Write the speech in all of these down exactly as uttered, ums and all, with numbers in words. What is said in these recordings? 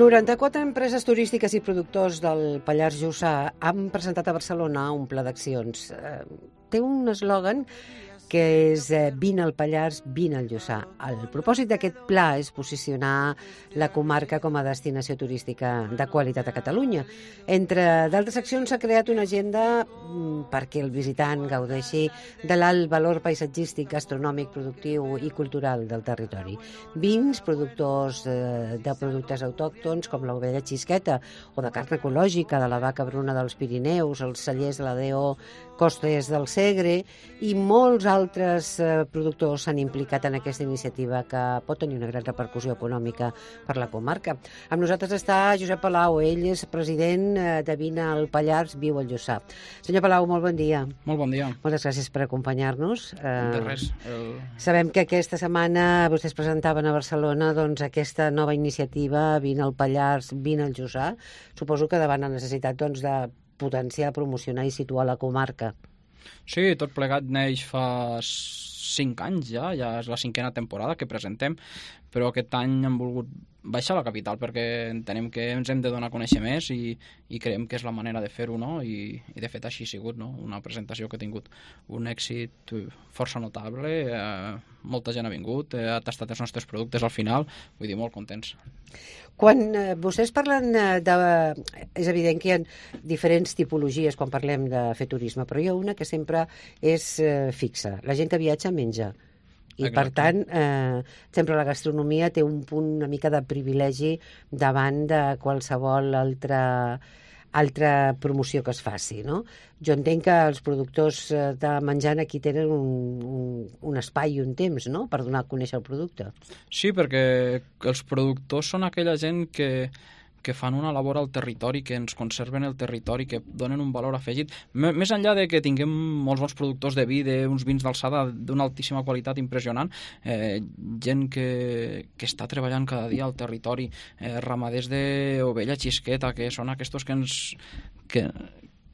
noranta-quatre empreses turístiques i productors del Pallars Jussà han presentat a Barcelona un pla d'accions. Eh, té un eslògan que és eh, vine al Pallars, vine al Jussà. El propòsit d'aquest pla és posicionar la comarca com a destinació turística de qualitat a Catalunya. Entre d'altres accions s'ha creat una agenda mm, perquè el visitant gaudeixi de l'alt valor paisatgístic, gastronòmic, productiu i cultural del territori. Vins, productors eh, de productes autòctons com l'ovella xisqueta o de carn ecològica de la vaca bruna dels Pirineus, els cellers de la D O Costes del Segre i molts altres eh, productors s'han implicat en aquesta iniciativa que pot tenir una gran repercussió econòmica per la comarca. Amb nosaltres està Josep Palau, ell és president eh, de Vine al Pallars, viu al Jussà. Senyor Palau, molt bon dia. Molt bon dia. Moltes gràcies per acompanyar-nos. Eh, de res. El... Sabem que aquesta setmana vostès presentaven a Barcelona doncs, aquesta nova iniciativa, Vine al Pallars, Vine al Jussà. Suposo que davant la necessitat doncs, de potenciar, promocionar i situar la comarca. Sí, tot plegat neix fa cinc anys ja, ja és la cinquena temporada que presentem, però aquest any hem volgut baixar a la capital perquè entenem que ens hem de donar a conèixer més i, i creiem que és la manera de fer-ho, no? I, i de fet així ha sigut, no? Una presentació que ha tingut un èxit força notable, eh, molta gent ha vingut, eh, ha tastat els nostres productes al final, vull dir, molt contents. Quan eh, vostès parlen de, de... És evident que hi ha diferents tipologies quan parlem de fer turisme, però hi ha una que sempre és eh, fixa. La gent que viatja menja. I, exacte. Per tant, eh, sempre la gastronomia té un punt una mica de privilegi davant de qualsevol altra, altra promoció que es faci, no? Jo entenc que els productors de menjant aquí tenen un, un, un espai i un temps, no?, per donar a conèixer el producte. Sí, perquè els productors són aquella gent que que fan una labor al territori, que ens conserven el territori, que donen un valor afegit. M més enllà de que tinguem molts bons productors de vi, d'uns vins d'alçada d'una altíssima qualitat impressionant, eh, gent que, que està treballant cada dia al territori, eh, ramaders d'ovella xisqueta, que són aquests que ens... Que,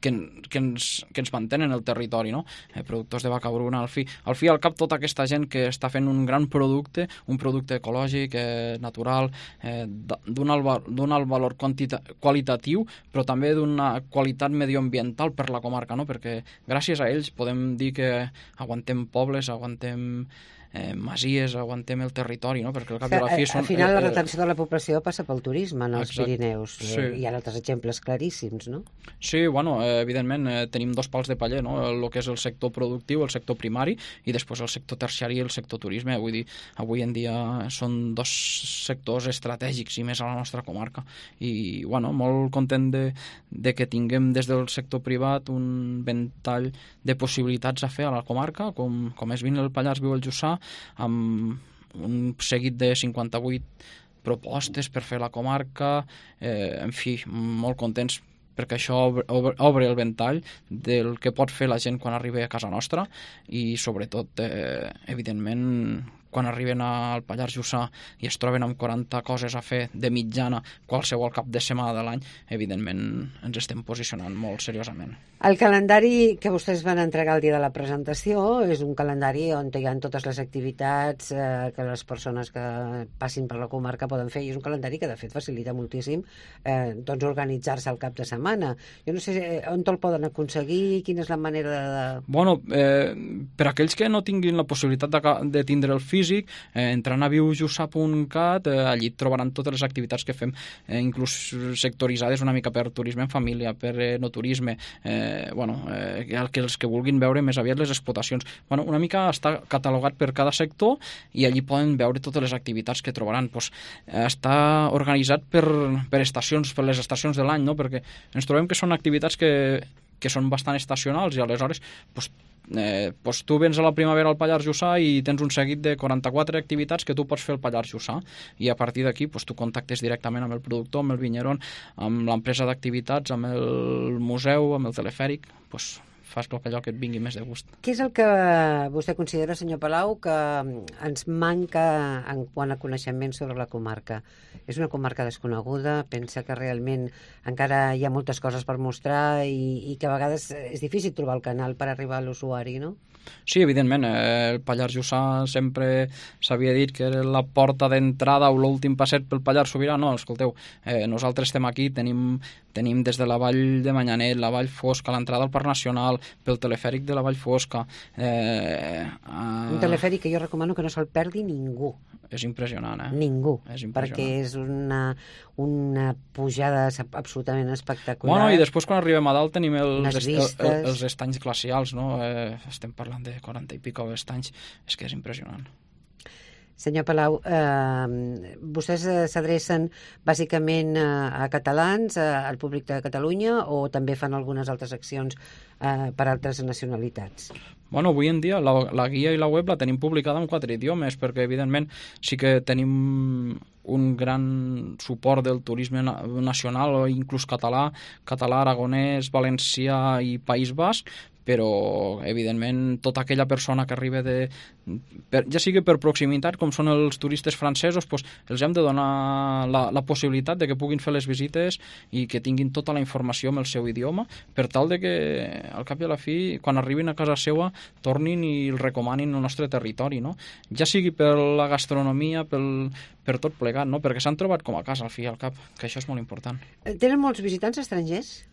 que, que, ens, que ens mantenen el territori, no? Eh, productors de vaca bruna, al fi, al fi al cap tota aquesta gent que està fent un gran producte, un producte ecològic, eh, natural, eh, d'un alt, alt valor qualitatiu, però també d'una qualitat medioambiental per la comarca, no? Perquè gràcies a ells podem dir que aguantem pobles, aguantem Eh, masies, aguantem el territori, no? Perquè al cap i a la fi són... Al final la retenció de la població passa pel turisme en els Exacte. Pirineus. Sí. Hi ha altres exemples claríssims, no? Sí, bueno, eh, evidentment eh, tenim dos pals de paller, no? El que és el sector productiu, el sector primari, i després el sector terciari i el sector turisme. Vull dir, avui en dia són dos sectors estratègics i més a la nostra comarca. I, bueno, molt content de, de que tinguem des del sector privat un ventall de possibilitats a fer a la comarca, com, com és Vine al Pallars, viu al Jussà, amb un seguit de cinquanta-vuit propostes per fer la comarca, eh, en fi, molt contents perquè això obre, obre, obre el ventall del que pot fer la gent quan arriba a casa nostra i sobretot, eh, evidentment, quan arriben al Pallars Jussà i es troben amb quaranta coses a fer de mitjana qualsevol cap de setmana de l'any, evidentment ens estem posicionant molt seriosament. El calendari que vostès van entregar el dia de la presentació és un calendari on hi ha totes les activitats eh, que les persones que passin per la comarca poden fer, i és un calendari que de fet facilita moltíssim eh, doncs organitzar-se al cap de setmana. Jo no sé on te'l poden aconseguir, quina és la manera de... Bueno, eh, per aquells que no tinguin la possibilitat de, de tindre el físic, eh, entrant a viu jussà punt cat, eh, allí trobaran totes les activitats que fem, eh, inclús sectoritzades una mica per turisme en família, per eh, no turisme, eh, bueno, eh, que els que vulguin veure més aviat les explotacions. Bueno, una mica està catalogat per cada sector i allí poden veure totes les activitats que trobaran. Pues, eh, està organitzat per, per estacions, per les estacions de l'any, no? Perquè ens trobem que són activitats que, que són bastant estacionals i aleshores pues, eh, pues tu vens a la primavera al Pallars Jussà i tens un seguit de quaranta-quatre activitats que tu pots fer al Pallars Jussà i a partir d'aquí pues, tu contactes directament amb el productor, amb el vinyeron, amb l'empresa d'activitats, amb el museu, amb el telefèric, pues, fas tot allò que et vingui més de gust. Què és el que vostè considera, senyor Palau, que ens manca en quant a coneixement sobre la comarca? És una comarca desconeguda, pensa que realment encara hi ha moltes coses per mostrar i, i que a vegades és difícil trobar el canal per arribar a l'usuari, no? Sí, evidentment, eh, el Pallars Jussà sempre s'havia dit que era la porta d'entrada o l'últim passet pel Pallars Sobirà. No, escolteu, eh, nosaltres estem aquí, tenim, tenim des de la Vall de Manyanet, la Vall Fosca, l'entrada al Parc Nacional, pel telefèric de la Vall Fosca. Eh, eh... Un telefèric que jo recomano que no se'l perdi ningú. És impressionant, eh? Ningú, és impressionant. Perquè és una, una pujada absolutament espectacular. Bueno, i després quan arribem a dalt tenim els, est, el, els estanys glacials, no? Eh, estem parlant de quaranta i pico estanys, és que és impressionant. Senyor Palau, eh, vostès s'adrecen bàsicament a, a catalans, a, al públic de Catalunya, o també fan algunes altres accions eh, per altres nacionalitats? Bueno, avui en dia la, la guia i la web la tenim publicada en quatre idiomes, perquè evidentment sí que tenim un gran suport del turisme nacional, o inclús català, català, aragonès, valencià i País Basc, però evidentment tota aquella persona que arriba de, per, ja sigui per proximitat, com són els turistes francesos, doncs els hem de donar la, la possibilitat de que puguin fer les visites i que tinguin tota la informació en el seu idioma, per tal de que al cap i a la fi, quan arribin a casa seva, tornin i el recomanin el nostre territori, no? Ja sigui per la gastronomia, pel, per tot plegat, no? Perquè s'han trobat com a casa al fi i al cap, que això és molt important. Tenen molts visitants estrangers?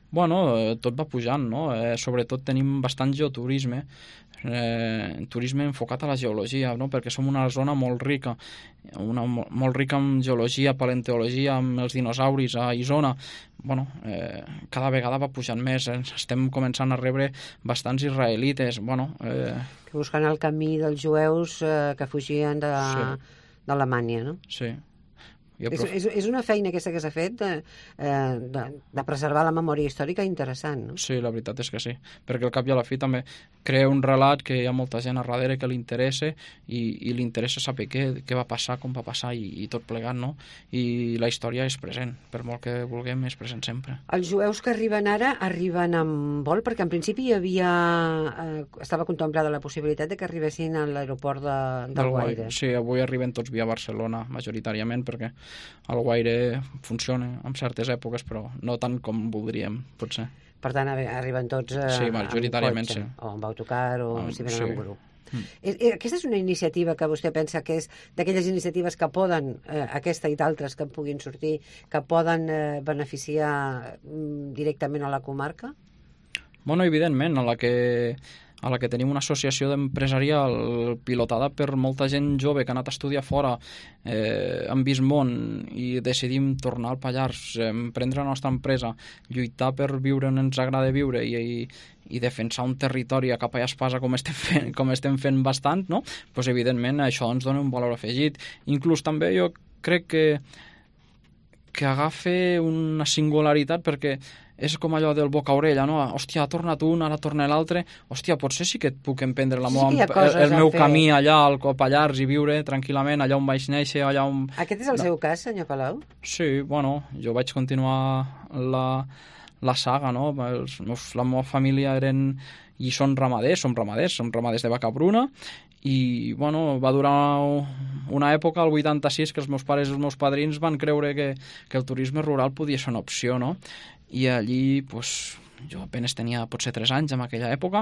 Bueno, tot va pujant, no? Eh, sobretot tenim bastant geoturisme, eh, turisme enfocat a la geologia, no? Perquè som una zona molt rica, una, molt rica en geologia, paleontologia, amb els dinosauris a Isona. Bueno, eh, cada vegada va pujant més, eh? Estem començant a rebre bastants israelites, bueno... Eh... Buscant el camí dels jueus eh, que fugien de, sí. d'Alemanya, no? Sí. És, és, és una feina aquesta que s'ha fet de, de, de preservar la memòria històrica interessant, no? Sí, la veritat és que sí, perquè al cap i a la fi també crea un relat que hi ha molta gent a darrere que li interessa i, i li interessa saber què, què va passar, com va passar i, i tot plegat, no? I la història és present, per molt que vulguem, és present sempre. Els jueus que arriben ara arriben amb vol, perquè en principi hi havia eh, estava contemplada la possibilitat de que arribessin a l'aeroport de, del, del Guaire. Sí, avui arriben tots via Barcelona, majoritàriament, perquè el Guaire funciona en certes èpoques, però no tant com voldríem, potser. Per tant, arriben tots eh, sí, majoritàriament, amb cotxe, sí. o amb autocar, o um, si venen sí. en grup. Mm. Aquesta és una iniciativa que vostè pensa que és d'aquelles iniciatives que poden, eh, aquesta i d'altres que en puguin sortir, que poden eh, beneficiar mm, directament a la comarca? Bueno, evidentment, a la que a la que tenim una associació empresarial pilotada per molta gent jove que ha anat a estudiar fora, eh, han vist món i decidim tornar al Pallars, eh, prendre la nostra empresa, lluitar per viure on ens agrada viure i, i, i defensar un territori a capa i espasa com estem fent, com estem fent bastant, no? Pues, evidentment això ens dona un valor afegit. Inclús també jo crec que que agafa una singularitat, perquè és com allò del boca-orella, no? Hòstia, ha tornat un, ara torna l'altre. Hòstia, potser sí que puc emprendre la sí, meva, el, el meu camí allà al Pallars i viure tranquil·lament allà on vaig néixer, allà on... Aquest és el no. seu cas, senyor Palau? Sí, bueno, jo vaig continuar la, la saga, no? Els meus, la meva família eren i són ramaders, som ramaders, som ramaders de vaca bruna, i bueno, va durar una època, el vuitanta-sis, que els meus pares i els meus padrins van creure que, que el turisme rural podia ser una opció, no? I allí, pues, jo apenas tenia potser tres anys en aquella època,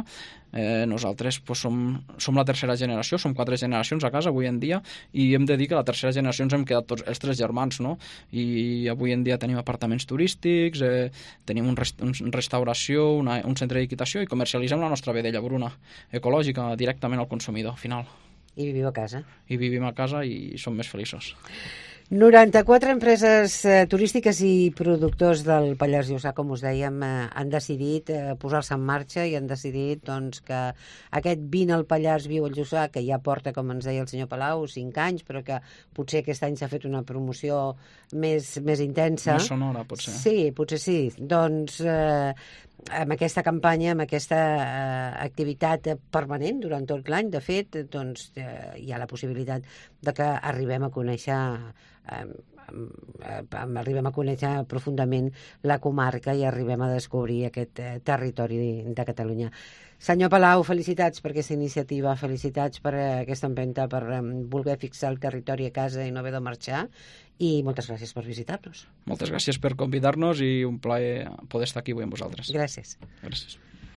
eh, nosaltres pues, som, som la tercera generació, som quatre generacions a casa avui en dia, i hem de dir que la tercera generació ens hem quedat tots els tres germans, no? I avui en dia tenim apartaments turístics, eh, tenim un, rest un restauració, una, un centre d'equitació i comercialitzem la nostra vedella bruna ecològica directament al consumidor final. I viviu a casa. I vivim a casa i som més feliços. noranta-quatre empreses eh, turístiques i productors del Pallars Jussà, com us dèiem, eh, han decidit eh, posar-se en marxa i han decidit doncs, que aquest Vine al Pallars, viu al Jussà, que ja porta, com ens deia el senyor Palau, cinc anys, però que potser aquest any s'ha fet una promoció més, més intensa. Més sonora, potser. Sí, potser sí. Doncs eh, amb aquesta campanya, amb aquesta eh, activitat permanent durant tot l'any, de fet, doncs, eh, hi ha la possibilitat de que arribem a conèixer eh, eh, arribem a conèixer profundament la comarca i arribem a descobrir aquest eh, territori de Catalunya. Senyor Palau, felicitats per aquesta iniciativa, felicitats per eh, aquesta empenta, per eh, voler fixar el territori a casa i no haver de marxar, i moltes gràcies per visitar-nos. Moltes gràcies per convidar-nos i un plaer poder estar aquí avui amb vosaltres. Gràcies. Gràcies.